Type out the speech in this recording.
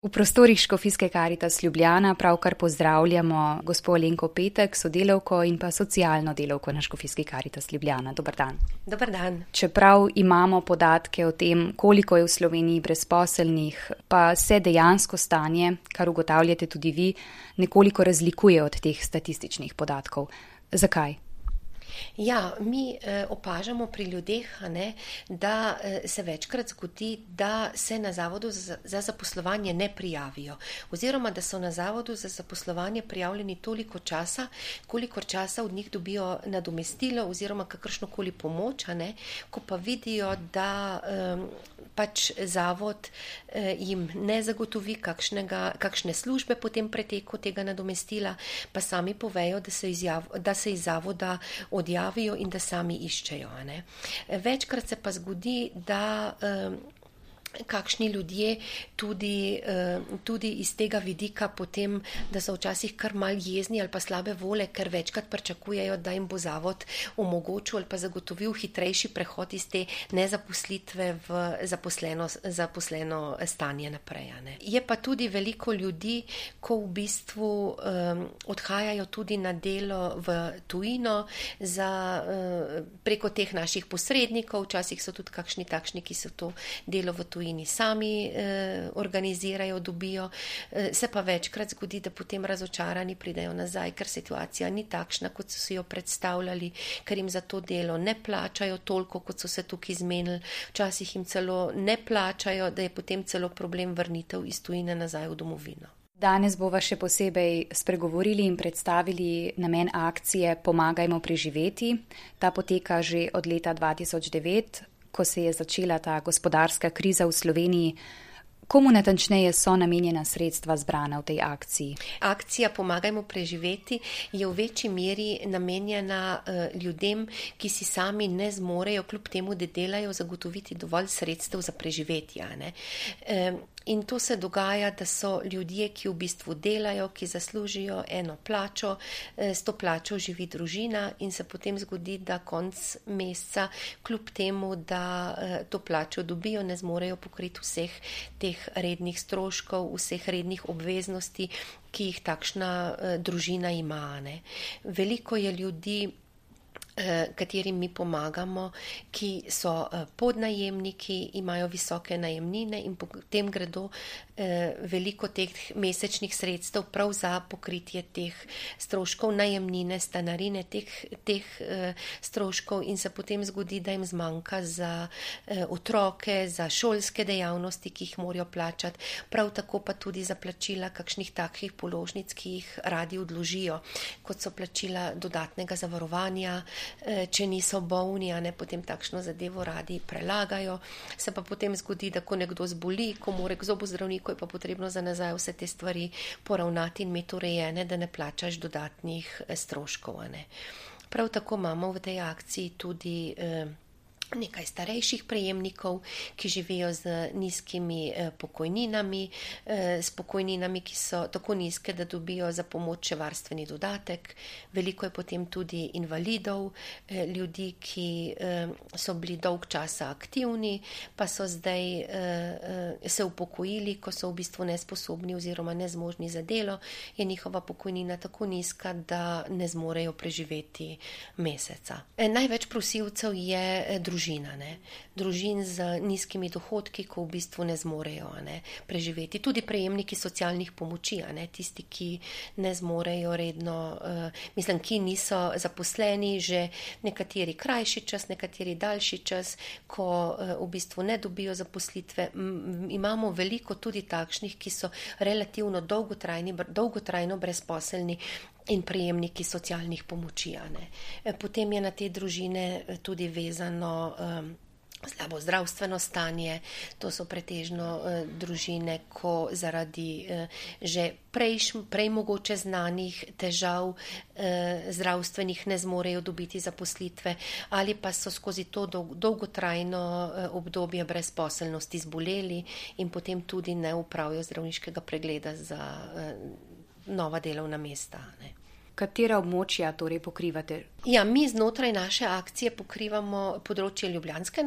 V prostorih Škofijske Karitas Ljubljana pravkar pozdravljamo gospo Alenko Petek, sodelavko in pa socialno delavko na Škofijski Karitas Ljubljana. Dober dan. Dober dan. Čeprav imamo podatke o tem, koliko je v Sloveniji brezposelnih, pa se dejansko stanje, kar ugotavljate tudi vi, nekoliko razlikuje od teh statističnih podatkov. Zakaj? Ja, mi opažamo pri ljudeh, da se večkrat zgodi, da se na Zavodu za zaposlovanje ne prijavijo. Oziroma, da so na Zavodu za zaposlovanje prijavljeni toliko časa, kolikor časa od njih dobijo nadomestilo oziroma kakršnokoli pomoč, ko pa vidijo, da pač Zavod jim ne zagotovi kakšne službe po tem preteku tega nadomestila, pa sami povejo, da se iz Zavoda odjavijo in da sami iščejo. Večkrat se pa zgodi, da kakšni ljudje tudi iz tega vidika potem, da so včasih kar mal jezni ali pa slabe vole, ker večkrat pričakujejo, da jim bo Zavod omogočil ali pa zagotovil hitrejši prehod iz te nezaposlitve v zaposleno stanje naprej. Je pa tudi veliko ljudi, ko v bistvu odhajajo tudi na delo v tujino preko teh naših posrednikov, včasih so tudi kakšni takšni, ki so to delo v tujini sami organizirajo, dobijo, se pa večkrat zgodi, da potem razočarani pridejo nazaj, ker situacija ni takšna, kot so si jo predstavljali, ker jim za to delo ne plačajo toliko, kot so se tukaj zmenili, včasih jim celo ne plačajo, da je potem celo problem vrnitev iz tujine nazaj v domovino. Danes bova še posebej spregovorili in predstavili namen akcije Pomagajmo preživeti. Ta poteka že od leta 2009, ko se je začela ta gospodarska kriza v Sloveniji. Komu natančneje so namenjena sredstva zbrana v tej akciji? Akcija Pomagajmo preživeti je v večji meri namenjena ljudem, ki si sami ne zmorejo, kljub temu, da delajo, zagotoviti dovolj sredstev za preživetje. In to se dogaja, da so ljudje, ki v bistvu delajo, ki zaslužijo eno plačo, s to plačo živi družina in se potem zgodi, da konc meseca, kljub temu, da to plačo dobijo, ne zmorejo pokriti vseh teh rednih stroškov, vseh rednih obveznosti, ki jih takšna družina ima. Veliko je ljudi, katerim mi pomagamo, ki so podnajemniki, imajo visoke najemnine in potem gredo veliko teh mesečnih sredstev prav za pokritje teh stroškov najemnine, stanarine, teh stroškov in se potem zgodi, da jim zmanjka za otroke, za šolske dejavnosti, ki jih morajo plačati, prav tako pa tudi za plačila kakšnih takih položnic, ki jih radi odložijo, kot so plačila dodatnega zavarovanja, če niso bolni, potem takšno zadevo radi prelagajo. Se pa potem zgodi, da ko nekdo zboli, ko mora k zobozdravniku, je pa potrebno za nazaj vse te stvari poravnati in imeti urejene, da ne plačaš dodatnih stroškov. Prav tako imamo v tej akciji tudi nekaj starejših prejemnikov, ki živijo z nizkimi pokojninami, s pokojninami, ki so tako nizke, da dobijo za pomoč še varstveni dodatek. Veliko je potem tudi invalidov, ljudi, ki so bili dolg časa aktivni, pa so zdaj se upokojili, ko so v bistvu nesposobni oziroma nezmožni za delo, je njihova pokojnina tako nizka, da ne zmorejo preživeti meseca. Največ prosilcev je družin z nizkimi dohodki, ko v bistvu ne zmorejo preživeti. Tudi prejemniki socialnih pomoči, tisti, ki ne zmorejo redno, ki niso zaposleni že nekateri krajši čas, nekateri daljši čas, ko v bistvu ne dobijo zaposlitve. Imamo veliko tudi takšnih, ki so relativno dolgotrajno brezposelni in prejemniki socialnih pomoči. Potem je na te družine tudi vezano slabo zdravstveno stanje. To so pretežno družine, ko zaradi že prej mogoče znanih težav zdravstvenih ne zmorejo dobiti zaposlitve ali pa so skozi to dolgotrajno obdobje brezposelnosti zboleli in potem tudi ne opravijo zdravniškega pregleda za nova delovna mesta. Katera območja torej pokrivate? Ja, mi znotraj naše akcije pokrivamo področje ljubljanske